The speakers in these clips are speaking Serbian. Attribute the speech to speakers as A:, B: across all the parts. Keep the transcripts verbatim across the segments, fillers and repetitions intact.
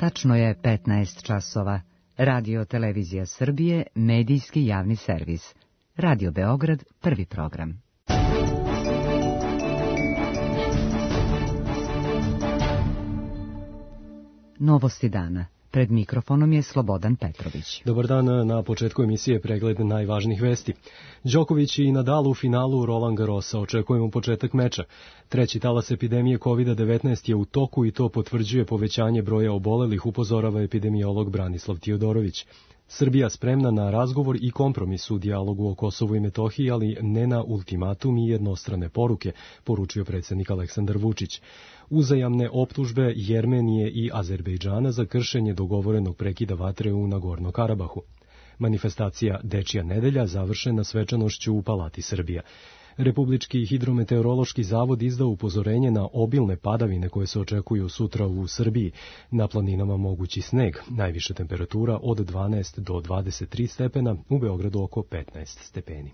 A: Tačno je petnaest časova. Radio Televizija Srbije, medijski javni servis. Radio Beograd, prvi program. Novosti dana. Pred mikrofonom je Slobodan Petrović.
B: Dobar dan, na početku emisije pregled najvažnijih vesti. Đoković i Nadal u finalu Roland Garrosa, očekujemo početak meča. Treći talas epidemije kovid devetnaest je u toku i to potvrđuje povećanje broja obolelih, upozorava epidemiolog Branislav Tijodorović. Srbija spremna na razgovor i kompromis u dijalogu o Kosovu i Metohiji, ali ne na ultimatum i jednostrane poruke, poručio predsjednik Aleksandar Vučić. Uzajamne optužbe Jermenije i Azerbejdžana za kršenje dogovorenog prekida vatre u Nagorno Karabahu. Manifestacija Dečija nedelja završena svečanošću u Palati Srbija. Republički hidrometeorološki zavod izdao upozorenje na obilne padavine koje se očekuju sutra u Srbiji. Na planinama mogući sneg, najviša temperatura od dvanaest do dvadeset tri stepena, u Beogradu oko petnaest stepeni.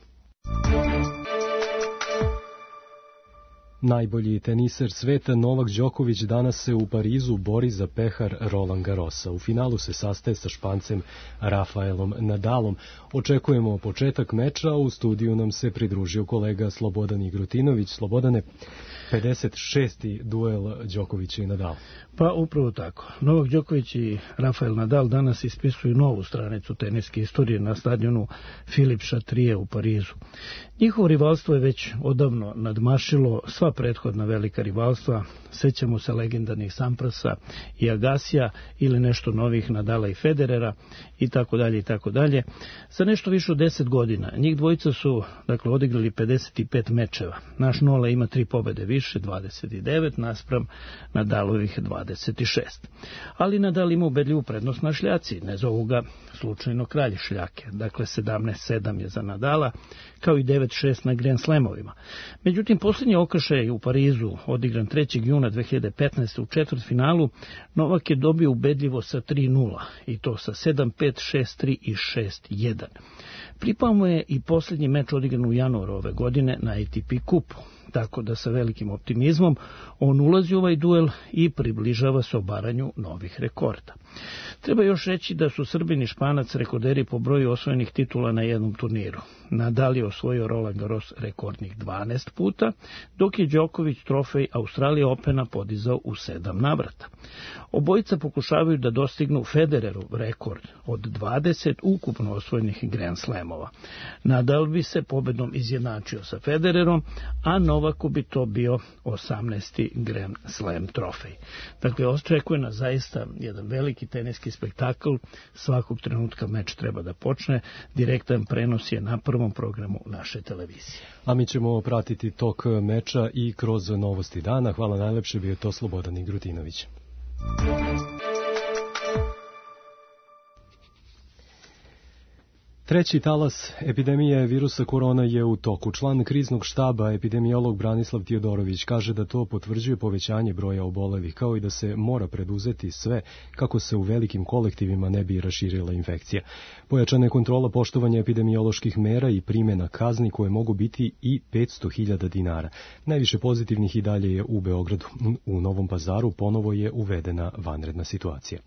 B: Najbolji teniser sveta Novak Đoković danas se u Parizu bori za pehar Roland Garrosa. U finalu se sastaje sa Špancem Rafaelom Nadalom. Očekujemo početak meča, a u studiju nam se pridružio kolega Slobodan Igrutinović. Slobodane, pedeset šesti duel Đokovića i Nadala.
C: Pa upravo tako. Novak Đoković i Rafael Nadal danas ispisuju novu stranicu teniske istorije na stadionu Philippe Chatrier u Parizu. Njihovo rivalstvo je već odavno nadmašilo sva prethodna velika rivalstva. Sećamo se legendarnih Samprasa i Agasija ili nešto novih Nadala i Federera i tako dalje i tako dalje. Za nešto više od deset godina njih dvojica su dakle odigrali pedeset pet mečeva. Naš Nole ima tri pobede više, dvadeset devet naspram Nadalovih dvadeset šest. Ali Nadal ima ubedljivu prednost na šljaci, ne zovu ga slučajno kralj šljake. Dakle sedamnaest sedam je za Nadala, kao i devet šest na Grand Slamovima. Međutim, posljednji okršaj u Parizu, odigran trećeg juna dve hiljade petnaeste. u četvrtfinalu, Novak je dobio ubedljivo sa tri nula, i to sa sedam pet, šest tri i šest jedan. Pripao mu je i posljednji meč odigran u januaru ove godine na A T P kupu, tako da sa velikim optimizmom on ulazi u ovaj duel i približava se obaranju novih rekorda. Treba još reći da su Srbin i Španac rekorderi po broju osvojenih titula na jednom turniru. Nadal je osvojio Roland Garros rekordnih dvanaest puta, dok je Đoković trofej Australija Opena podizao u sedam navrata. Obojica pokušavaju da dostignu Federerov rekord od dvadeset ukupno osvojenih Grand Slamova. Nadal bi se pobedom izjednačio sa Federerom, a Novaku bi to bio osamnaesti Grand Slam trofej. Dakle, očekuje nas zaista jedan veliki teniski spektakl. Svakog trenutka meč treba da počne. Direktan prenos je na prvom programu naše televizije.
B: A mi ćemo pratiti tok meča i kroz novosti dana. Hvala najlepše, bio je to Slobodan Igrutinović. Treći talas epidemije virusa korona je u toku. Član kriznog štaba, epidemiolog Branislav Tijodorović, kaže da to potvrđuje povećanje broja obolelih, kao i da se mora preduzeti sve kako se u velikim kolektivima ne bi raširila infekcija. Pojačana je kontrola poštovanja epidemioloških mera i primjena kazni koje mogu biti i petsto hiljada dinara. Najviše pozitivnih i dalje je u Beogradu. U Novom Pazaru ponovo je uvedena vanredna situacija.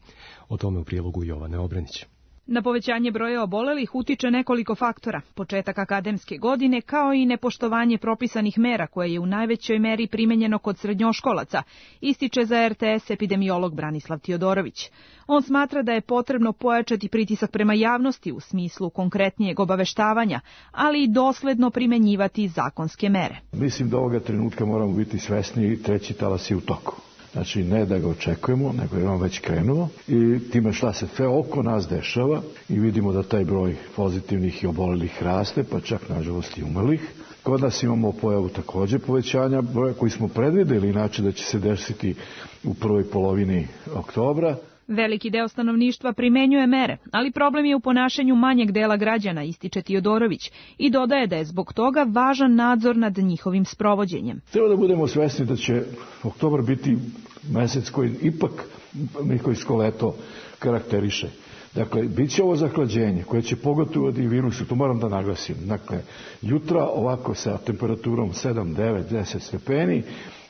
B: O tome u prilogu Jovane Obrenić.
D: Na povećanje broja obolelih utiče nekoliko faktora, početak akademske godine kao i nepoštovanje propisanih mera koje je u najvećoj meri primenjeno kod srednjoškolaca, ističe za R T S epidemiolog Branislav Tijodorović. On smatra da je potrebno pojačati pritisak prema javnosti u smislu konkretnijeg obaveštavanja, ali i dosledno primenjivati zakonske mere.
E: Mislim da ovoga trenutka moramo biti svesni i treći talas je u toku. Znači, ne da ga očekujemo, nego je on već krenuo i time šta se sve oko nas dešava i vidimo da taj broj pozitivnih i obolelih raste, pa čak nažalost i umrlih. Kod nas imamo pojavu također povećanja broja koji smo predvideli inače da će se desiti u prvoj polovini oktobra.
D: Veliki deo stanovništva primenjuje mere, ali problem je u ponašanju manjeg dela građana, ističe Tijodorović, i dodaje da je zbog toga važan nadzor nad njihovim sprovođenjem.
E: Treba da budemo svesni da će oktobar biti mesec koji ipak nikoljsko leto karakteriše. Dakle, bit će ovo zahlađenje koje će pogotovati virusu, to moram da naglasim. Dakle, jutra ovako sa temperaturom sedam, devet, deset stepeni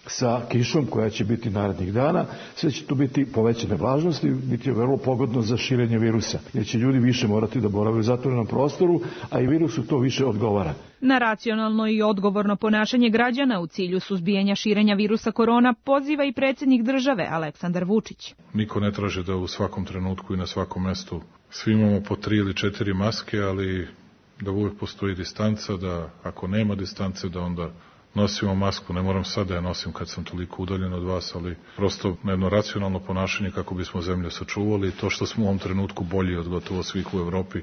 E: sa kišom koja će biti narednih dana, sve će tu biti povećane vlažnosti, biti vrlo pogodno za širenje virusa, jer će ljudi više morati da borave u zatvorenom prostoru, a i virusu to više odgovara.
D: Na racionalno i odgovorno ponašanje građana u cilju suzbijanja širenja virusa korona poziva i predsjednik države Aleksandar Vučić.
F: Niko ne traži da u svakom trenutku i na svakom mestu svi imamo po tri ili četiri maske, ali da uvijek postoji distanca, da ako nema distance da onda nosimo masku. Ne moram sad da ja nosim kad sam toliko udaljen od vas, ali prosto na jedno racionalno ponašanje kako bismo zemlju sačuvali. To što smo u ovom trenutku bolji od gotovo svih u Evropi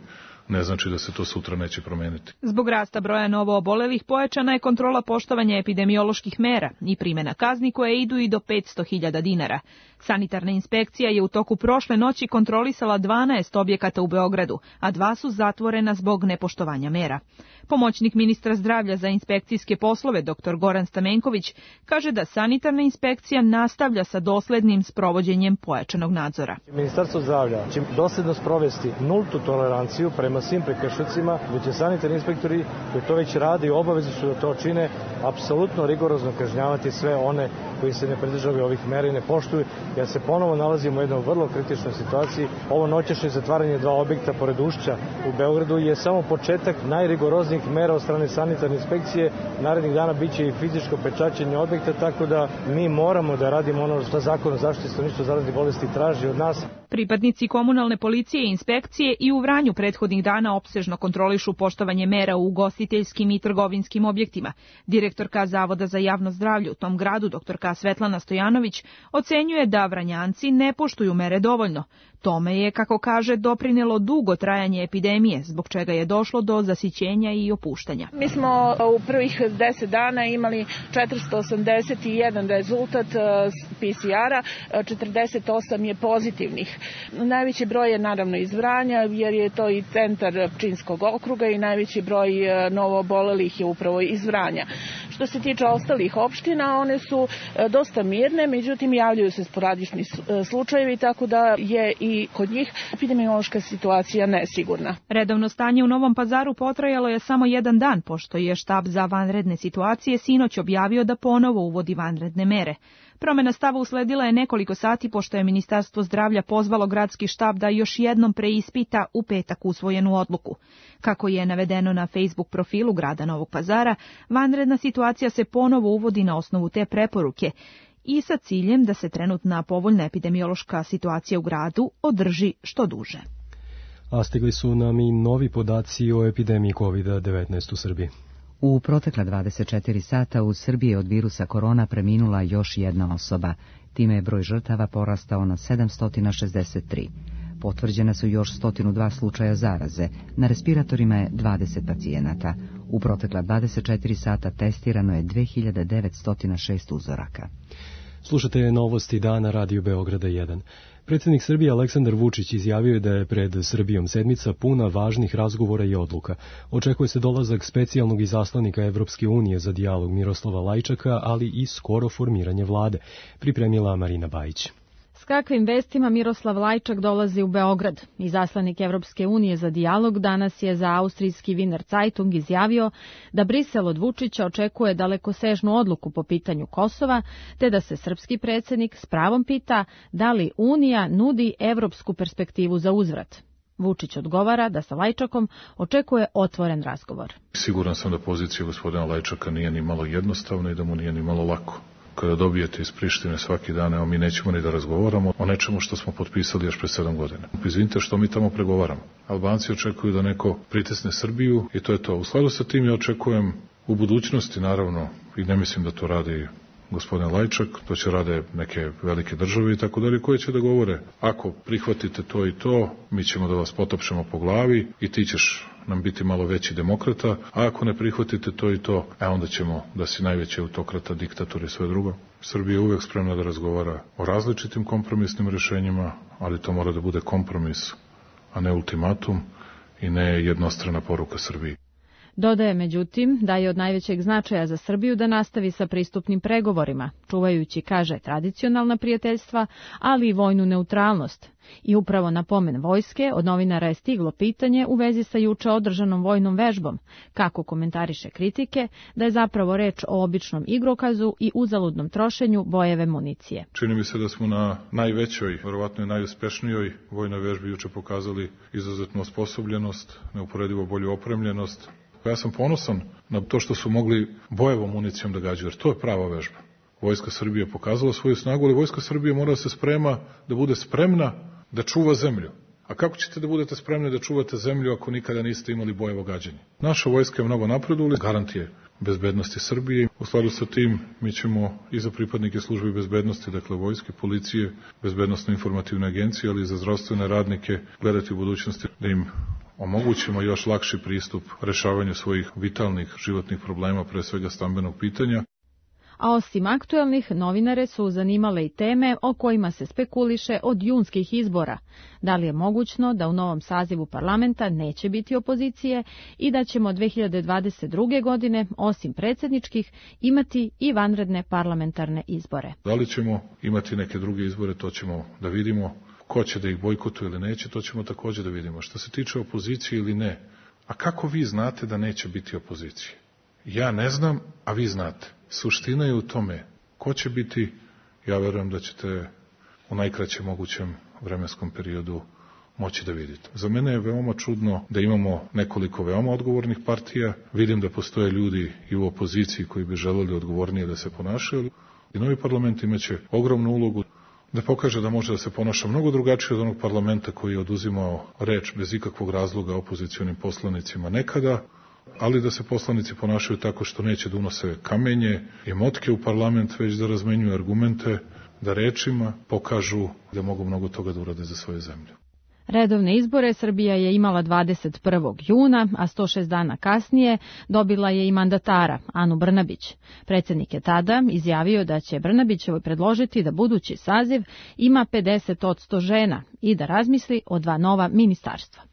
F: ne znači da se to sutra neće promeniti.
D: Zbog rasta broja novo obolelih pojačana je kontrola poštovanja epidemioloških mera i primjena kazni koje idu i do petsto hiljada dinara. Sanitarna inspekcija je u toku prošle noći kontrolisala dvanaest objekata u Beogradu, a dva su zatvorena zbog nepoštovanja mera. Pomoćnik ministra zdravlja za inspekcijske poslove dr Goran Stamenković kaže da sanitarna inspekcija nastavlja sa doslednim sprovođenjem pojačanog nadzora.
G: Ministarstvo zdravlja će dosledno sprovesti nultu toleranciju prema svim prekršicima, gdje će sanitarni inspektori koji to već rade i obavezni su da to čine, apsolutno rigorozno kažnjavati sve one koji se ne pridržavaju ovih mera i ne poštuju, jer se ponovo nalazimo u jednoj vrlo kritičnoj situaciji. Ovo noćašnje zatvaranje dva objekta pored Ušća u Beogradu je samo početak najrigoroznijih mera od strane sanitarne inspekcije. Narednih dana biće i fizičko pečaćenje objekta, tako da mi moramo da radimo ono što Zakon o zaštiti stanovništva zaraznih bolesti traži od nas.
D: Pripadnici komunalne policije i inspekcije i u Vranju prethodnih dana opsežno kontrolišu poštovanje mera u ugostiteljskim i trgovinskim objektima. Direktorka Zavoda za javno zdravlje u tom gradu, doktorka Svetlana Stojanović, ocenjuje da Vranjanci ne poštuju mere dovoljno. Tome je, kako kaže, doprinelo dugo trajanje epidemije, zbog čega je došlo do zasićenja i opuštanja.
H: Mi smo u prvih deset dana imali četiristo osamdeset jedan rezultat P C R-a, četrdeset osam je pozitivnih. Najveći broj je naravno iz Vranja, jer je to i centar Pčinjskog okruga i najveći broj novoobolelih je upravo iz Vranja. Što se tiče ostalih opština, one su dosta mirne, međutim javljaju se sporadični slučajevi, tako da je i kod njih epidemiološka situacija nesigurna.
D: Redovno stanje u Novom Pazaru potrajalo je samo jedan dan, pošto je štab za vanredne situacije sinoć objavio da ponovo uvodi vanredne mere. Promjena stava usledila je nekoliko sati pošto je Ministarstvo zdravlja pozvalo gradski štab da još jednom preispita u petak usvojenu odluku. Kako je navedeno na Facebook profilu grada Novog Pazara, vanredna situacija se ponovo uvodi na osnovu te preporuke i sa ciljem da se trenutna povoljna epidemiološka situacija u gradu održi što duže.
B: A stigli su nam i novi podaci o epidemiji kovid devetnaest u Srbiji.
A: U protekla dvadeset četiri sata u Srbiji od virusa korona preminula još jedna osoba. Time je broj žrtava porastao na sedamsto šezdeset tri. Potvrđena su još sto dva slučaja zaraze, na respiratorima je dvadeset pacijenata. U protekla dvadeset četiri sata testirano je dve hiljade devetsto šest uzoraka.
B: Slušate novosti dana Radio Beograda jedan. Predsjednik Srbije Aleksandar Vučić izjavio je da je pred Srbijom sedmica puna važnih razgovora i odluka. Očekuje se dolazak specijalnog izaslanika Evropske unije za dijalog Miroslava Lajčaka, ali i skoro formiranje vlade, pripremila Marina Bajić.
I: S kakvim vestima Miroslav Lajčak dolazi u Beograd? Izaslanik Evropske unije za dijalog danas je za austrijski Wiener Zeitung izjavio da Brisel od Vučića očekuje dalekosežnu odluku po pitanju Kosova, te da se srpski predsjednik s pravom pita da li Unija nudi evropsku perspektivu za uzvrat. Vučić odgovara da sa Lajčakom očekuje otvoren razgovor.
F: Siguran sam da pozicija gospodina Lajčaka nije ni malo jednostavna i da mu nije ni malo lako. Kada dobijete iz Prištine svaki dan, evo mi nećemo ni da razgovaramo o nečemu što smo potpisali još pre sedam godina. Izvinite, što mi tamo pregovaramo. Albanci očekuju da neko pritisne Srbiju i to je to. U skladu sa tim ja očekujem u budućnosti, naravno, i ne mislim da to radi gospodin Lajčak, to će rade neke velike države i tako dalje, koje će da govore, ako prihvatite to i to, mi ćemo da vas potopšemo po glavi i ti ćeš nam biti malo veći demokrata, a ako ne prihvatite to i to, e onda ćemo da si najveći autokrata, diktator i sve drugo. Srbija je uvek spremna da razgovara o različitim kompromisnim rešenjima, ali to mora da bude kompromis, a ne ultimatum i ne jednostrana poruka Srbiji.
I: Dodaje međutim da je od najvećeg značaja za Srbiju da nastavi sa pristupnim pregovorima, čuvajući, kaže, tradicionalna prijateljstva, ali i vojnu neutralnost. I upravo na pomen vojske od novinara je stiglo pitanje u vezi sa juče održanom vojnom vežbom, kako komentariše kritike da je zapravo reč o običnom igrokazu i uzaludnom trošenju bojeve municije.
F: Čini mi se da smo na najvećoj, verovatno i najuspešnijoj vojnoj vežbi juče pokazali izuzetnu osposobljenost, neuporedivo bolju opremljenost. Ja sam ponosan na to što su mogli bojevom municijom da gađaju, jer to je prava vežba. Vojska Srbije je pokazala svoju snagu, ali Vojska Srbije mora da se sprema, da bude spremna da čuva zemlju. A kako ćete da budete spremni da čuvate zemlju ako nikada niste imali bojevo gađanje? Naša vojska je mnogo napredovala, garantije bezbednosti Srbije. U skladu sa tim mi ćemo i za pripadnike službe bezbednosti, dakle vojske, policije, bezbednosno-informativne agencije, ali i za zdravstvene radnike gledati u budućnosti da im omogućimo još lakši pristup rešavanju svojih vitalnih životnih problema, pre svega stambenog pitanja.
I: A osim aktuelnih, novinare su zanimale i teme o kojima se spekuliše od junskih izbora. Da li je mogućno da u novom sazivu parlamenta neće biti opozicije i da ćemo dve hiljade dvadeset druge. godine, osim predsjedničkih, imati i vanredne parlamentarne izbore.
F: Da li ćemo imati neke druge izbore, to ćemo da vidimo. Ko će da ih bojkotuje ili neće, to ćemo također da vidimo. Što se tiče opozicije ili ne, a kako vi znate da neće biti opozicije? Ja ne znam, a vi znate. Suština je u tome ko će biti, ja verujem da ćete u najkraćem mogućem vremenskom periodu moći da vidite. Za mene je veoma čudno da imamo nekoliko veoma odgovornih partija. Vidim da postoje ljudi i u opoziciji koji bi želeli odgovornije da se ponašaju. I novi parlament imaće ogromnu ulogu da pokaže da može da se ponaša mnogo drugačije od onog parlamenta koji je oduzimao reč bez ikakvog razloga opozicionim poslanicima nekada, ali da se poslanici ponašaju tako što neće da unose kamenje i motke u parlament, već da razmenjuju argumente, da rečima pokažu da mogu mnogo toga da urade za svoju zemlju.
I: Redovne izbore Srbija je imala dvadeset prvog juna, a sto šest dana kasnije dobila je i mandatara, Anu Brnabić. Predsjednik je tada izjavio da će Brnabićevoj predložiti da budući saziv ima pedeset posto žena i da razmisli o dva nova ministarstva.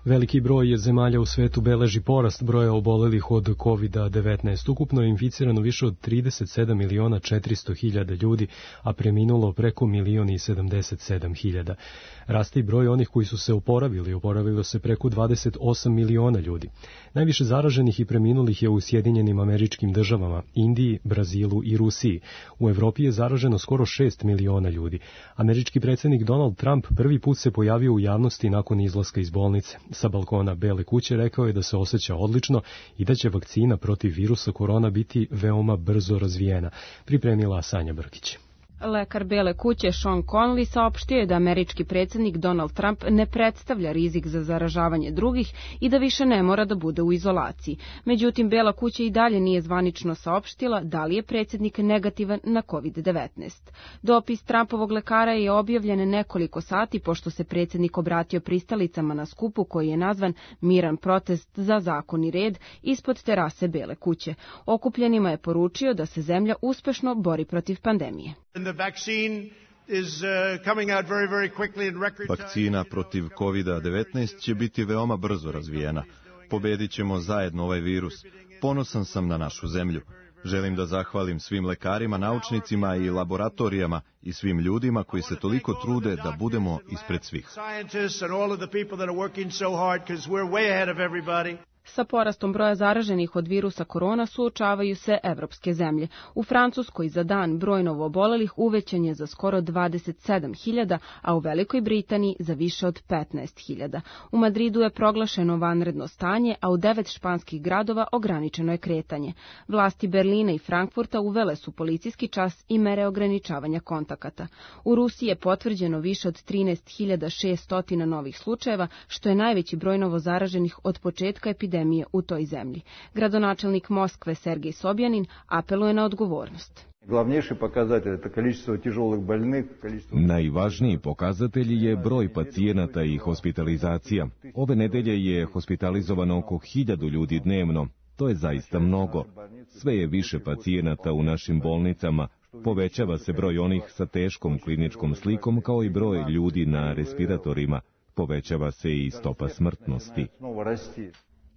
B: Veliki broj zemalja u svetu beleži porast broja obolelih od kovid devetnaest. Ukupno je inficirano više od trideset sedam miliona četiristo hiljada ljudi, a preminulo preko milion i sedamdeset sedam hiljada. Raste i broj onih koji su se oporavili, oporavilo se preko dvadeset osam miliona ljudi. Najviše zaraženih i preminulih je u Sjedinjenim Američkim Državama, Indiji, Brazilu i Rusiji. U Evropi je zaraženo skoro šest miliona ljudi. Američki predsjednik Donald Trump prvi put se pojavio u javnosti nakon izlaska iz bolnice. Sa balkona Bele kuće rekao je da se osjeća odlično i da će vakcina protiv virusa korona biti veoma brzo razvijena, pripremila Sanja Brkić.
J: Lekar Bele kuće Sean Conley saopštio je da američki predsjednik Donald Trump ne predstavlja rizik za zaražavanje drugih i da više ne mora da bude u izolaciji. Međutim, Bela kuća i dalje nije zvanično saopštila da li je predsjednik negativan na kovid devetnaest. Dopis Trumpovog lekara je objavljen nekoliko sati pošto se predsjednik obratio pristalicama na skupu koji je nazvan Miran protest za zakon i red ispod terase Bele kuće. Okupljenima je poručio da se zemlja uspešno bori protiv pandemije.
K: Vakcina protiv kovid devetnaest će biti veoma brzo razvijena. Pobedit ćemo zajedno ovaj virus. Ponosan sam na našu zemlju. Želim da zahvalim svim lekarima, naučnicima i laboratorijama i svim ljudima koji se toliko trude da budemo ispred svih.
J: Sa porastom broja zaraženih od virusa korona suočavaju se evropske zemlje. U Francuskoj za dan broj novoobolelih uvećan je za skoro dvadeset sedam hiljada, a u Velikoj Britaniji za više od petnaest hiljada. U Madridu je proglašeno vanredno stanje, a u devet španskih gradova ograničeno je kretanje. Vlasti Berlina i Frankfurta uvele su policijski čas i mere ograničavanja kontakata. U Rusiji je potvrđeno više od trinaest hiljada šesto novih slučajeva, što je najveći broj novozaraženih od početka epidemije u toj zemlji. Gradonačelnik Moskve Sergej Sobjanin apeluje na odgovornost.
L: Najvažniji pokazatelj je broj pacijenata i hospitalizacija. Ove nedelje je hospitalizovano oko hiljadu ljudi dnevno. To je zaista mnogo. Sve je više pacijenata u našim bolnicama. Povećava se broj onih sa teškom kliničkom slikom kao i broj ljudi na respiratorima. povećava se i stopa smrtnosti.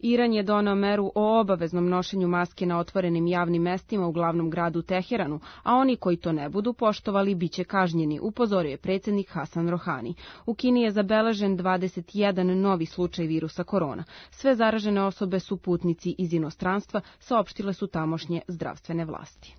J: Iran je doneo meru o obaveznom nošenju maske na otvorenim javnim mestima u glavnom gradu Teheranu, a oni koji to ne budu poštovali biće kažnjeni, upozorio je predsjednik Hasan Rohani. U Kini je zabeležen dvadeset jedan novi slučaj virusa korona. Sve zaražene osobe su putnici iz inostranstva, saopštile su tamošnje zdravstvene vlasti.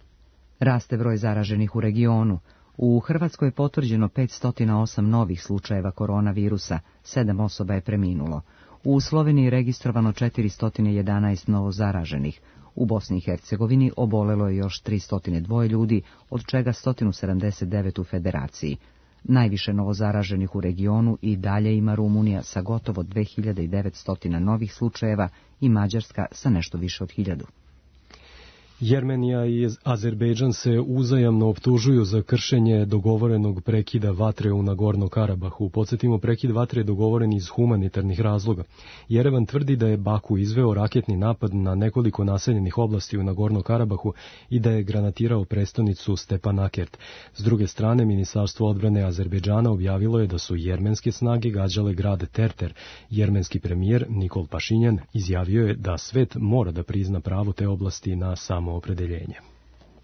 A: Raste broj zaraženih u regionu. U Hrvatskoj je potvrđeno petsto osam novih slučajeva koronavirusa, sedam osoba je preminulo. U Sloveniji je registrovano četiristo jedanaest novozaraženih. U Bosni i Hercegovini obolelo je još tristo dva ljudi, od čega sto sedamdeset devet u Federaciji. Najviše novozaraženih u regionu i dalje ima Rumunija sa gotovo dve hiljade devetsto novih slučajeva i Mađarska sa nešto više od hiljadu.
B: Jermenija i Azerbejdžan se uzajamno optužuju za kršenje dogovorenog prekida vatre u Nagorno Karabahu. Podsjetimo, prekid vatre je dogovoren iz humanitarnih razloga. Jerevan tvrdi da je Baku izveo raketni napad na nekoliko naseljenih oblasti u Nagorno Karabahu i da je granatirao prestonicu Stepanakert. S druge strane, Ministarstvo odbrane Azerbejdžana objavilo je da su jermenske snage gađale grad Terter. Jermenski premijer Nikol Pašinjan izjavio je da svet mora da prizna pravo te oblasti na samo opredeljenje.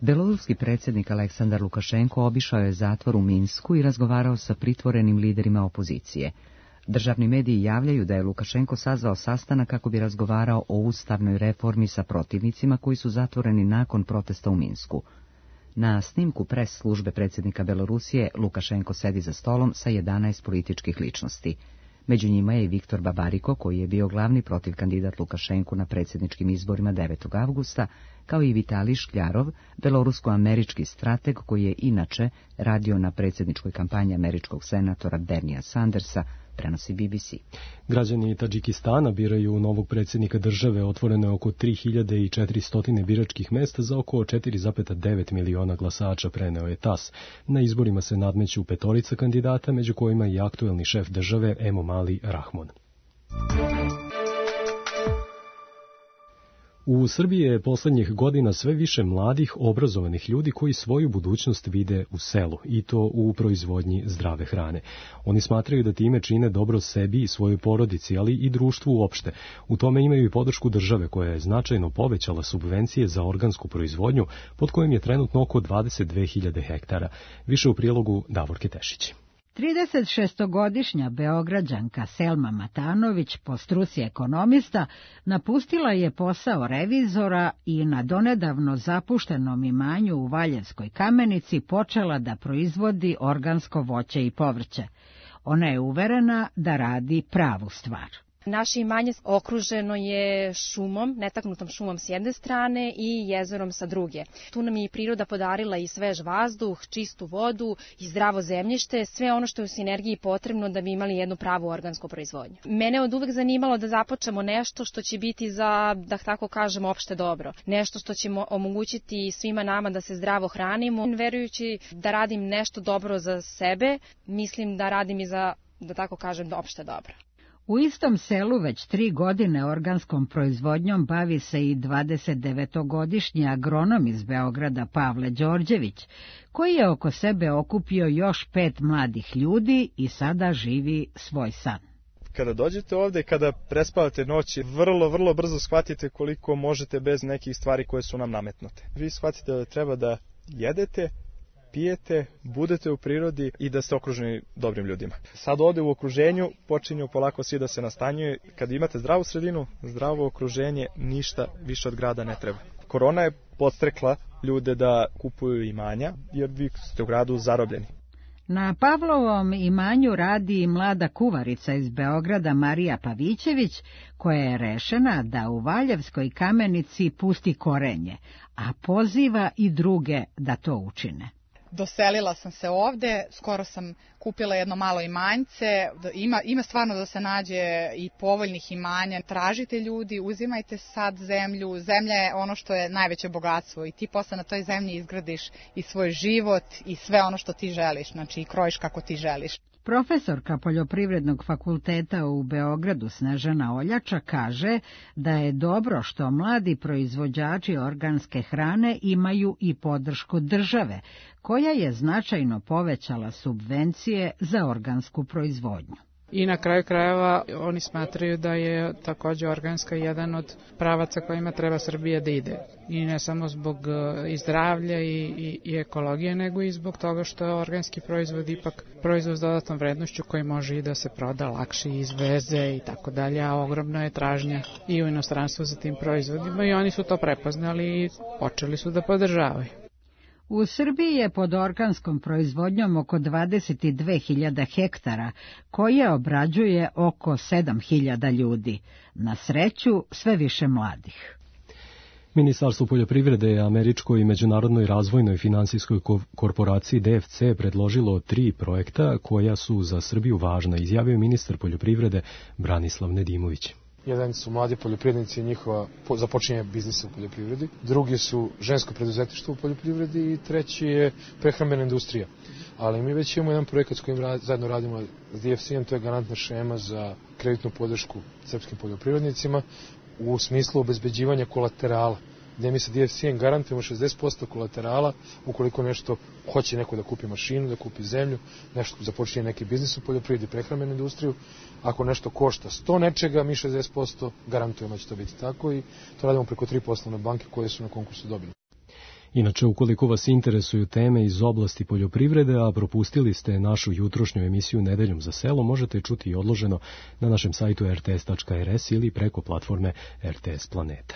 A: Beloruski predsjednik Aleksandar Lukašenko obišao je zatvor u Minsku i razgovarao sa pritvorenim liderima opozicije. Državni mediji javljaju da je Lukašenko sazvao sastanak kako bi razgovarao o ustavnoj reformi sa protivnicima koji su zatvoreni nakon protesta u Minsku. Na snimku pres službe predsjednika Belorusije Lukašenko sedi za stolom sa jedanaest političkih ličnosti. Među njima je i Viktor Babariko, koji je bio glavni protiv kandidat Lukašenku na predsjedničkim izborima devetog avgusta, kao i Vitalij Škljarov, belorusko-američki strateg koji je inače radio na predsjedničkoj kampanji američkog senatora Bernija Sandersa, prenosi B B C.
B: Građani Tadžikistana biraju novog predsjednika države, otvoreno je oko tri hiljade četiristo biračkih mesta za oko četiri zarez devet miliona glasača, preneo je tas. Na izborima se nadmeću petorica kandidata, među kojima i aktuelni šef države Emomali Rahmon. U Srbiji je poslednjih godina sve više mladih, obrazovanih ljudi koji svoju budućnost vide u selu, i to u proizvodnji zdrave hrane. Oni smatraju da time čine dobro sebi i svojoj porodici, ali i društvu uopšte. U tome imaju i podršku države, koja je značajno povećala subvencije za organsku proizvodnju, pod kojim je trenutno oko dvadeset dve hiljade hektara. Više u prilogu Davorke Tešić.
M: trideset šestogodišnja Beograđanka Selma Matanović, po struci ekonomista, napustila je posao revizora i na donedavno zapuštenom imanju u Valjevskoj Kamenici počela da proizvodi organsko voće i povrće. Ona je uverena da radi pravu stvar.
N: Naše imanje okruženo je šumom, netaknutom šumom s jedne strane i jezerom sa druge. Tu nam je i priroda podarila i svež vazduh, čistu vodu i zdravo zemljište, sve ono što je u sinergiji potrebno da bi imali jednu pravu organsku proizvodnju. Mene od uvek zanimalo da započnemo nešto što će biti za, da tako kažem, opšte dobro. Nešto što će omogućiti svima nama da se zdravo hranimo. Verujući da radim nešto dobro za sebe, mislim da radim i za, da tako kažem, opšte dobro.
M: U istom selu već tri godine organskom proizvodnjom bavi se i dvadesetdevetogodišnji agronom iz Beograda Pavle Đorđević, koji je oko sebe okupio još pet mladih ljudi i sada živi svoj san.
O: Kada dođete ovde, kada prespavate noći, vrlo, vrlo brzo shvatite koliko možete bez nekih stvari koje su nam nametnute. Vi shvatite da treba da jedete, pijete, budete u prirodi i da ste okruženi dobrim ljudima. Sad ovde u okruženju počinju polako svi da se nastanjuju. Kad imate zdravu sredinu, zdravo okruženje, ništa više od grada ne treba. Korona je podstrekla ljude da kupuju imanja, jer vi ste u gradu zarobljeni.
M: Na Pavlovom imanju radi i mlada kuvarica iz Beograda Marija Pavićević, koja je rešena da u Valjevskoj Kamenici pusti korenje, a poziva i druge da to učine.
P: Doselila sam se ovde, skoro sam kupila jedno malo imanjce, ima, ima stvarno da se nađe i povoljnih imanja. Tražite ljudi, uzimajte sad zemlju, zemlja je ono što je najveće bogatstvo i ti posle na toj zemlji izgradiš i svoj život i sve ono što ti želiš, znači i krojiš kako ti želiš.
M: Profesorka Poljoprivrednog fakulteta u Beogradu Snežana Oljača kaže da je dobro što mladi proizvođači organske hrane imaju i podršku države, koja je značajno povećala subvencije za organsku proizvodnju.
Q: I na kraju krajeva oni smatraju da je takođe organska jedan od pravaca kojima treba Srbija da ide. I ne samo zbog i zdravlja i, i, i ekologije, nego i zbog toga što je organski proizvod ipak proizvod s dodatnom vrednošću koji može i da se proda lakše, izveze i tako dalje, a ogromna je tražnja i u inostranstvu za tim proizvodima i oni su to prepoznali i počeli su da podržavaju.
M: U Srbiji je pod organskom proizvodnjom oko dvadeset dve hiljade hektara, koje obrađuje oko sedam hiljada ljudi. Na sreću, sve više mladih.
B: Ministarstvo poljoprivrede je američkoj i međunarodnoj razvojnoj finansijskoj korporaciji D F C predložilo tri projekta koja su za Srbiju važna, izjavio ministar poljoprivrede Branislav Nedimović.
R: Jedan su mladi poljoprivrednici i njihova započinje biznisa u poljoprivredi, drugi su žensko preduzetništvo u poljoprivredi i treći je prehrambena industrija. Ali mi već imamo jedan projekat s kojim rad, zajedno radimo s D F C-em, to je garantna šema za kreditnu podršku srpskim poljoprivrednicima u smislu obezbeđivanja kolaterala, gde mi sa D F C-em garantujemo šezdeset posto kolaterala ukoliko nešto hoće neko da kupi mašinu, da kupi zemlju, nešto započinje neki biznis u poljoprivredi, prehrambenu industriju. Ako nešto košta sto nečega, mi šezdeset posto garantujemo da će to biti tako i to radimo preko tri poslovne banke koje su na konkursu dobili.
B: Inače, ukoliko vas interesuju teme iz oblasti poljoprivrede, a propustili ste našu jutrošnju emisiju Nedeljom za selo, možete čuti i odloženo na našem sajtu r t s tačka r s ili preko platforme R T S Planeta.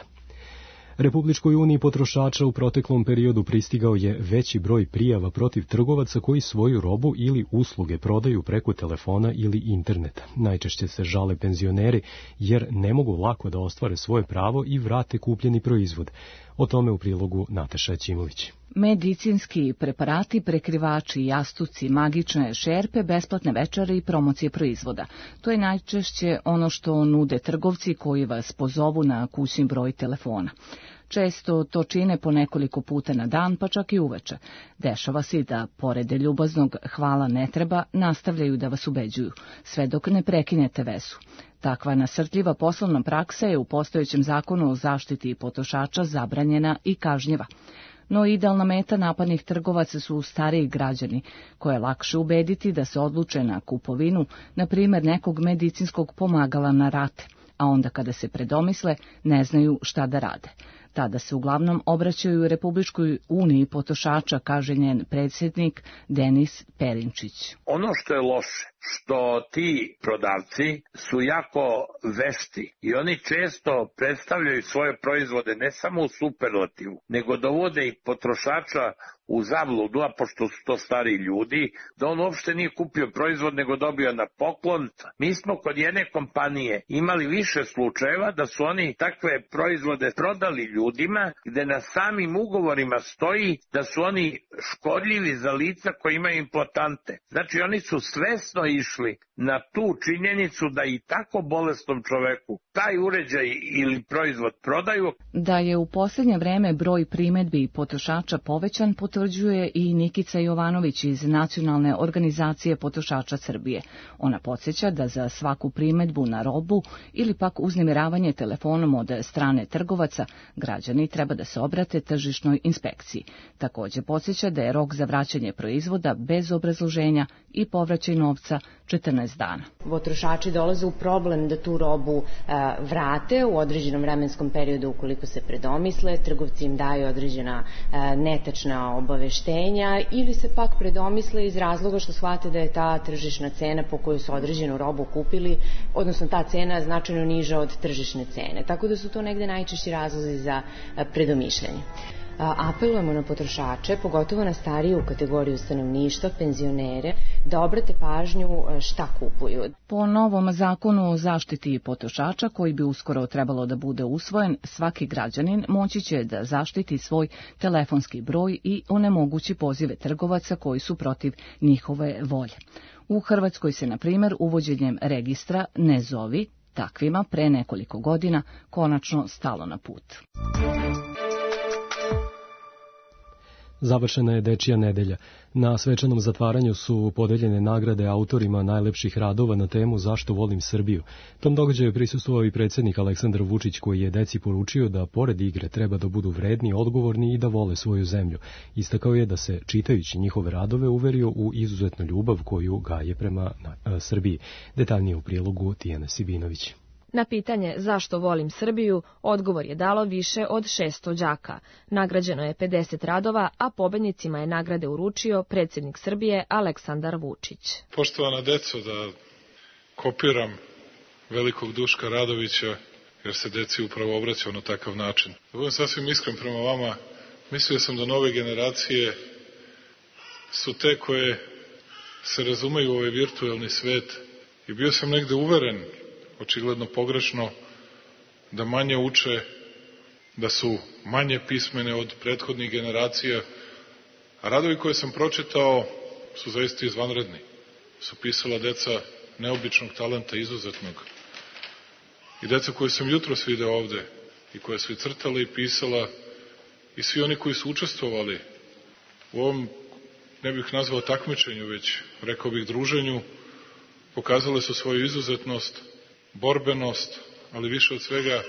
B: Republičkoj uniji potrošača u proteklom periodu pristigao je veći broj prijava protiv trgovaca koji svoju robu ili usluge prodaju preko telefona ili interneta. Najčešće se žale penzioneri jer ne mogu lako da ostvare svoje pravo i vrate kupljeni proizvod. O tome u prilogu Nataša Ćimović.
S: Medicinski preparati, prekrivači, jastuci, magične šerpe, besplatne večere i promocije proizvoda. To je najčešće ono što nude trgovci koji vas pozovu na kućni broj telefona. Često to čine po nekoliko puta na dan, pa čak i uveče. Dešava se da, pored ljubaznog hvala ne treba, nastavljaju da vas ubeđuju, sve dok ne prekinete vezu. Takva nasrtljiva poslovna praksa je u postojećem zakonu o zaštiti potrošača zabranjena i kažnjeva. No idealna meta napadnih trgovaca su stariji građani, koje je lakše ubediti da se odluče na kupovinu, na primjer nekog medicinskog pomagala na rate, a onda kada se predomisle ne znaju šta da rade. Tada se uglavnom obraćaju Republičkoj uniji potrošača, kaže njen predsjednik Denis Perinčić.
T: Ono što je loše, što ti prodavci su jako vešti i oni često predstavljaju svoje proizvode ne samo u superlativu, nego dovode i potrošača u zabludu, a pošto su to stari ljudi, da on uopšte nije kupio proizvod nego dobio na poklon. Mi smo kod jedne kompanije imali više slučajeva da su oni takve proizvode prodali ljudima, gde na samim ugovorima stoji da su oni škodljivi za lica koji imaju implantante. Znači oni su svesno išli na tu činjenicu da i tako bolesnom čoveku taj uređaj ili proizvod prodaju.
S: Da je u posljednje vreme broj primedbi potrošača povećan, potvrđuje i Nikica Jovanović iz Nacionalne organizacije potrošača Srbije. Ona podsjeća da za svaku primedbu na robu ili pak uznemiravanje telefonom od strane trgovaca, građani treba da se obrate tržišnoj inspekciji. Također podsjeća da je rok za vraćanje proizvoda bez obrazloženja i povraćaj novca četrnaest dana.
U: Potrošači dolaze u problem da tu robu a, vrate u određenom vremenskom periodu ukoliko se predomisle, trgovci im daju određena a, netačna obaveštenja ili se pak predomisle iz razloga što shvate da je ta tržišna cena po koju su određenu robu kupili, odnosno ta cena značajno niža od tržišne cene. Tako da su to negde najčešći razlozi za a, predomišljanje. Apelujemo na potrošače, pogotovo na stariju kategoriju stanovništva, penzionere, da obrate pažnju šta kupuju.
S: Po novom zakonu o zaštiti potrošača, koji bi uskoro trebalo da bude usvojen, svaki građanin moći će da zaštiti svoj telefonski broj i onemogući pozive trgovaca koji su protiv njihove volje. U Hrvatskoj se, na primjer, uvođenjem registra Ne zovi takvima pre nekoliko godina konačno stalo na put.
B: Završena je Dečija nedelja. Na svečanom zatvaranju su podeljene nagrade autorima najlepših radova na temu Zašto volim Srbiju. Tom događaju prisustvovao i predsjednik Aleksandar Vučić, koji je deci poručio da pored igre treba da budu vredni, odgovorni i da vole svoju zemlju. Istakao je da se, čitajući njihove radove, uverio u izuzetnu ljubav koju gaje prema a, Srbiji. Detaljnije u prilogu Tijana Sibinović.
C: Na pitanje zašto volim Srbiju, odgovor je dalo više od šesto đaka. Nagrađeno je pedeset radova, a pobednicima je nagrade uručio predsjednik Srbije Aleksandar Vučić.
F: Poštovana deco, da kopiram velikog Duška Radovića, jer se deci upravo obraćao na takav način. Da budem sasvim iskren prema vama, mislio sam da nove generacije su te koje se razumeju u ovaj virtuelni svet i bio sam negde uveren, očigledno pogrešno, da manje uče, da su manje pismene od prethodnih generacija, a radovi koje sam pročitao su zaista izvanredni. Su pisala deca neobičnog talenta, izuzetnog. I deca koje sam jutros video ovde, i koje su i crtala i pisala, i svi oni koji su učestvovali u ovom, ne bih nazvao takmičenju, već rekao bih druženju, pokazale su svoju izuzetnost, borbenost, ali više od svega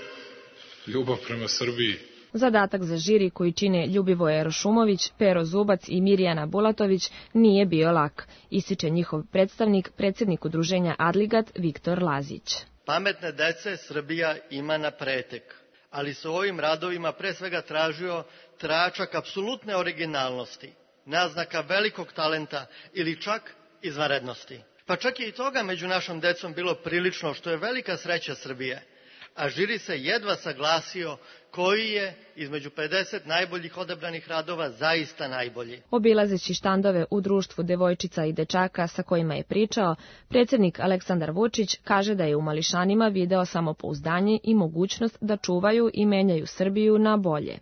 F: ljubav prema Srbiji.
C: Zadatak za žiri koji čine Ljubivoje Rošumović, Pero Zubac i Mirjana Bulatović nije bio lak, ističe njihov predstavnik, predsjednik udruženja Adligat Viktor Lazić.
V: Pametne dece Srbija ima na pretek, ali se u ovim radovima pre svega tražio tračak apsolutne originalnosti, naznaka velikog talenta ili čak izvanrednosti. Pa čak i toga među našom decom bilo prilično, što je velika sreća Srbije, a žiri se jedva saglasio koji je između pedeset najboljih odabranih radova zaista najbolji.
C: Obilazeći štandove u društvu devojčica i dečaka sa kojima je pričao, predsjednik Aleksandar Vučić kaže da je u mališanima video samopouzdanje i mogućnost da čuvaju i menjaju Srbiju na bolje.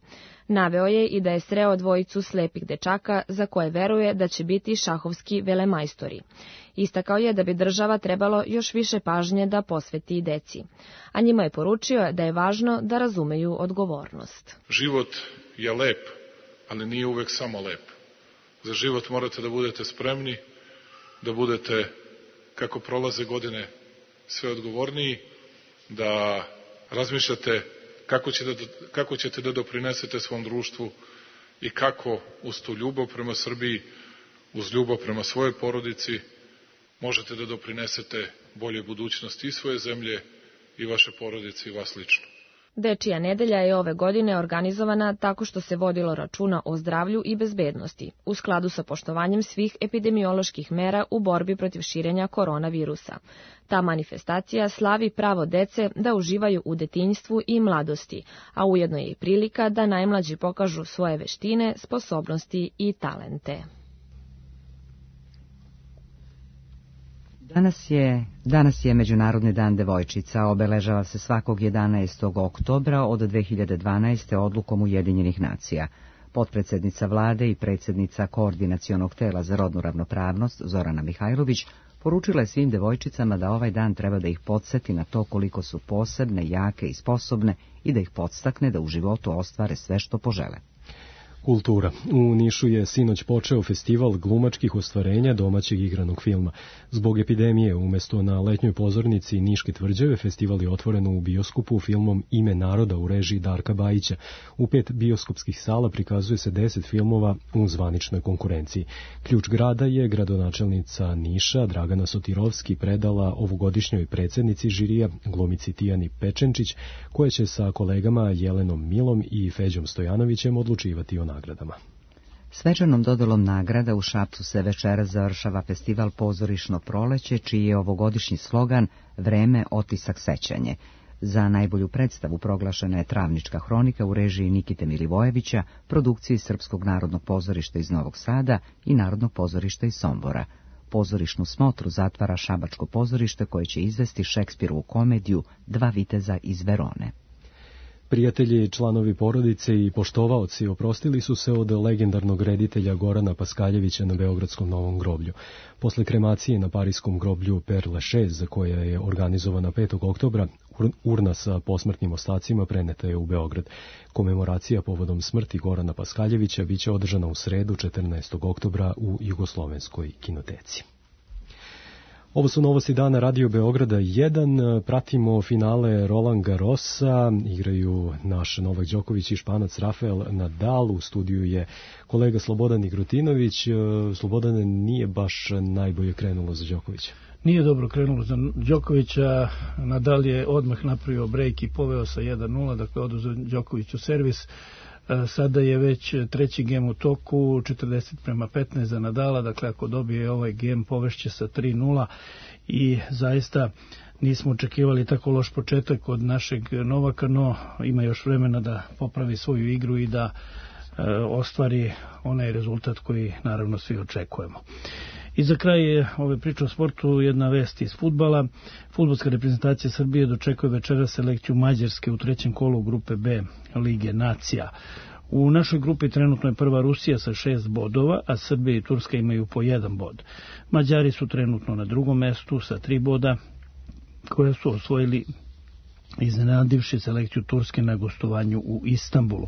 C: Naveo je i da je sreo dvojicu slepih dečaka za koje veruje da će biti šahovski velemajstori. Istakao je da bi država trebalo još više pažnje da posveti deci. A njima je poručio da je važno da razumeju odgovornost.
F: Život je lep, ali nije uvek samo lep. Za život morate da budete spremni, da budete, kako prolaze godine, sve odgovorniji, da razmišljate Kako ćete, da, kako ćete da doprinesete svom društvu i kako uz tu ljubav prema Srbiji, uz ljubav prema svojoj porodici, možete da doprinesete boljoj budućnosti i svoje zemlje i vaše porodice i vas lično.
C: Dečija nedelja je ove godine organizovana tako što se vodilo računa o zdravlju i bezbednosti, u skladu sa poštovanjem svih epidemioloških mera u borbi protiv širenja koronavirusa. Ta manifestacija slavi pravo dece da uživaju u detinjstvu i mladosti, a ujedno je i prilika da najmlađi pokažu svoje veštine, sposobnosti i talente.
A: Danas je, danas je Međunarodni dan devojčica, obeležava se svakog jedanaestog oktobra od dve hiljade dvanaeste. odlukom Ujedinjenih nacija. Potpredsjednica vlade i predsjednica Koordinacionog tela za rodnu ravnopravnost Zorana Mihajlović poručila je svim devojčicama da ovaj dan treba da ih podsjeti na to koliko su posebne, jake i sposobne i da ih podstakne da u životu ostvare sve što požele.
B: Kultura. U Nišu je sinoć počeo festival glumačkih ostvarenja domaćeg igranog filma. Zbog epidemije, umesto na letnjoj pozornici Niške tvrđave, festival je otvoren u bioskopu filmom Ime naroda u režiji Darka Bajića. U pet bioskopskih sala prikazuje se deset filmova u zvaničnoj konkurenciji. Ključ grada je gradonačelnica Niša Dragana Sotirovski predala ovogodišnjoj predsjednici žirija, glumici Tijani Pečenčić, koja će sa kolegama Jelenom Milom i Feđom Stojanovićem odlučivati o nagradama.
A: Svečanom dodolom nagrada u Šapcu se večeras završava festival Pozorišno proleće, čiji je ovogodišnji slogan Vreme, otisak, sećanje. Za najbolju predstavu proglašena je Travnička hronika u režiji Nikite Milivojevića, produkciji Srpskog narodnog pozorišta iz Novog Sada i Narodnog pozorišta iz Sombora. Pozorišnu smotru zatvara Šabačko pozorište koje će izvesti Šekspirovu komediju Dva viteza iz Verone.
B: Prijatelji, članovi porodice i poštovaoci oprostili su se od legendarnog reditelja Gorana Paskaljevića na Beogradskom Novom groblju. Posle kremacije na parijskom groblju Père Lachaise, koja je organizovana petog oktobra, urna sa posmrtnim ostacima preneta je u Beograd. Komemoracija povodom smrti Gorana Paskaljevića biće održana u sredu četrnaestog oktobra u Jugoslovenskoj kinoteci. Ovo su novosti dana Radio Beograda jedan. Pratimo finale Roland Garrosa. Igraju naš Novak Đoković i Španac Rafael Nadal. U studiju je kolega Slobodan Igrutinović. Slobodan, nije baš najbolje krenulo za Đokovića.
E: Nije dobro krenulo za Đokovića. Nadal je odmah napravio brejk i poveo sa jedan nula, dakle oduzeo Đokoviću servis. Sada je već treći gem u toku, četrdeset prema petnaest za Nadala, dakle ako dobije ovaj gem povešće sa tri nula i zaista nismo očekivali tako loš početak od našeg Novaka, no ima još vremena da popravi svoju igru i da e, ostvari onaj rezultat koji naravno svi očekujemo. I za kraj ove priče o sportu jedna vest iz fudbala. Fudbalska reprezentacija Srbije dočekuje večeras selekciju Mađarske u trećem kolu grupe B Lige nacija. U našoj grupi trenutno je prva Rusija sa šest bodova, a Srbija i Turska imaju po jedan bod. Mađari su trenutno na drugom mestu sa tri boda, koje su osvojili iznenadivši selekciju Turske na gostovanju u Istanbulu.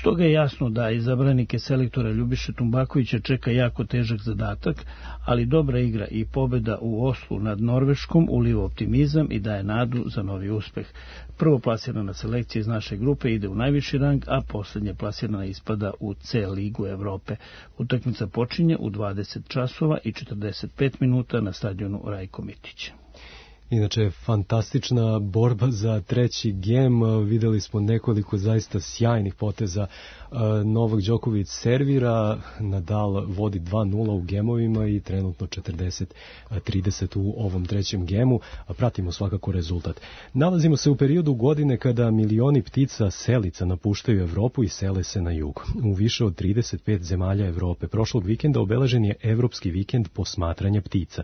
E: Stoga je jasno da izabranike selektora Ljubiše Tumbakovića čeka jako težak zadatak, ali dobra igra i pobjeda u Oslu nad Norveškom uliva optimizam i daje nadu za novi uspeh. Prvo plasirana selekcija iz naše grupe ide u najviši rang, a posljednje plasirana ispada u C ligu Evrope. Utakmica počinje u dvadeset časova i četrdeset pet minuta na stadionu Rajko Mitić.
B: Inače, fantastična borba za treći gem. Videli smo nekoliko zaista sjajnih poteza. Novak Đoković servira, Nadal vodi dva nula u gemovima i trenutno četrdeset trideset u ovom trećem gemu. Pratimo svakako rezultat. Nalazimo se u periodu godine kada milioni ptica selica napuštaju Evropu i sele se na jug. U više od trideset pet zemalja Evrope prošlog vikenda obeležen je Evropski vikend posmatranja ptica.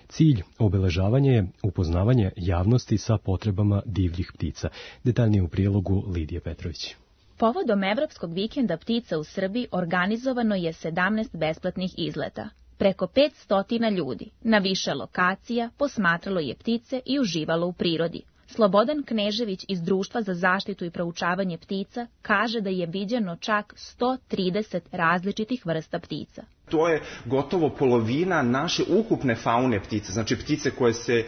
B: Cilj obeležavanja je upoznavanje javnosti sa potrebama divljih ptica. Detaljnije u prilogu Lidije Petrović.
G: Povodom Evropskog vikenda ptica u Srbiji organizovano je sedamnaest besplatnih izleta. Preko petsto ljudi na više lokacija posmatralo je ptice i uživalo u prirodi. Slobodan Knežević iz Društva za zaštitu i proučavanje ptica kaže da je viđeno čak sto trideset različitih vrsta ptica.
W: To je gotovo polovina naše ukupne faune ptice, znači ptice koje se e,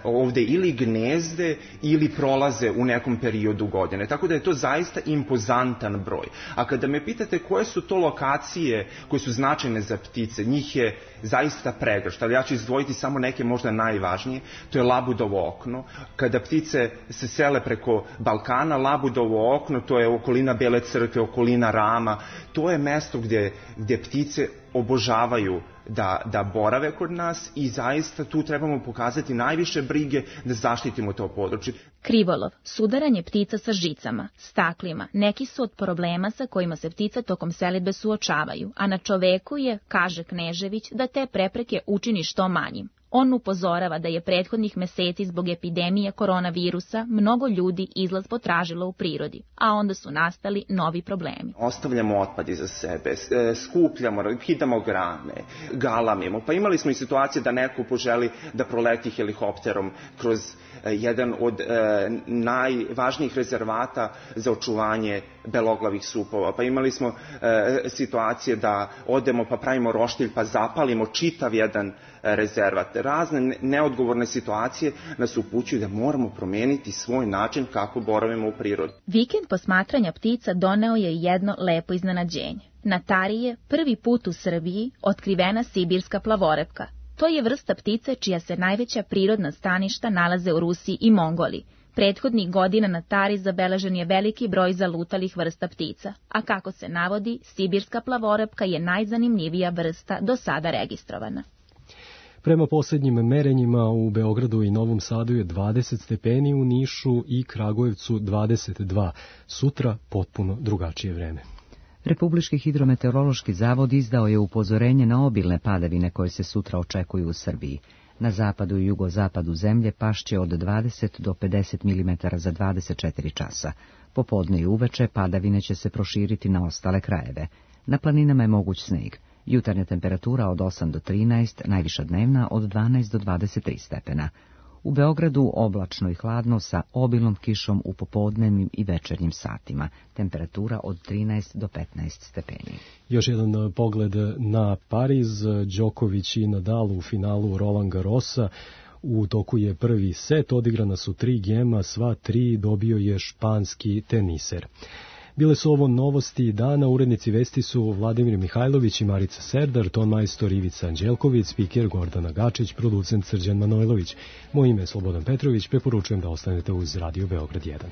W: ovde ili gnezde ili prolaze u nekom periodu godine. Tako da je to zaista impozantan broj. A kada me pitate koje su to lokacije koje su značajne za ptice, njih je zaista pregršt, ali ja ću izdvojiti samo neke možda najvažnije. To je Labudovo okno. Kada ptice se sele preko Balkana, Labudovo okno, to je okolina Bele crkve, okolina Rama, to je mesto gdje, gdje ptice obožavaju da, da borave kod nas i zaista tu trebamo pokazati najviše brige da zaštitimo to područje.
G: Krivolov, sudaranje ptica sa žicama, staklima, neki su od problema sa kojima se ptice tokom selidbe suočavaju, a na čoveku je, kaže Knežević, da te prepreke učini što manjim. On upozorava da je prethodnih meseci zbog epidemije koronavirusa mnogo ljudi izlaz potražilo u prirodi, a onda su nastali novi problemi.
W: Ostavljamo otpad iza sebe, skupljamo, kidamo grane, galamimo. Pa imali smo i situacije da neko poželi da proleti helikopterom kroz jedan od e, najvažnijih rezervata za očuvanje beloglavih supova. Pa imali smo e, situacije da odemo pa pravimo roštilj pa zapalimo čitav jedan rezervat. Razne neodgovorne situacije nas upućuju da moramo promeniti svoj način kako boravimo u prirodi.
G: Vikend posmatranja ptica doneo je jedno lepo iznenađenje. Na Tari je prvi put u Srbiji otkrivena sibirska plavorepka. To je vrsta ptice čija se najveća prirodna staništa nalaze u Rusiji i Mongoliji. Prethodnih godina na Tari zabeležen je veliki broj zalutalih vrsta ptica, a kako se navodi, sibirska plavorepka je najzanimljivija vrsta do sada registrovana.
B: Prema posljednjim merenjima u Beogradu i Novom Sadu je dvadeset stepeni, u Nišu i Kragujevcu dvadeset dva. Sutra potpuno drugačije vreme.
A: Republički hidrometeorološki zavod izdao je upozorenje na obilne padavine koje se sutra očekuju u Srbiji. Na zapadu i jugozapadu zemlje pašće od dvadeset do pedeset milimetara za dvadeset četiri časa. Popodne i uveče padavine će se proširiti na ostale krajeve. Na planinama je moguć sneg. Jutarnja temperatura od osam do trinaest, najviša dnevna od dvanaest do dvadeset tri stepena. U Beogradu oblačno i hladno sa obilnom kišom u popodnevnim i večernjim satima. Temperatura od trinaest do petnaest stepeni.
B: Još jedan pogled na Pariz. Đoković i Nadal u finalu Roland Garrosa. U toku je prvi set, odigrana su tri gema, sva tri dobio je španski teniser. Bile su ovo novosti dana, urednici vesti su Vladimir Mihajlović i Marica Serdar, ton majstor Ivica Anđelković, spiker Gordana Gačić, producent Srđan Manojlović. Moje ime je Slobodan Petrović, preporučujem da ostanete uz Radio Beograd jedan.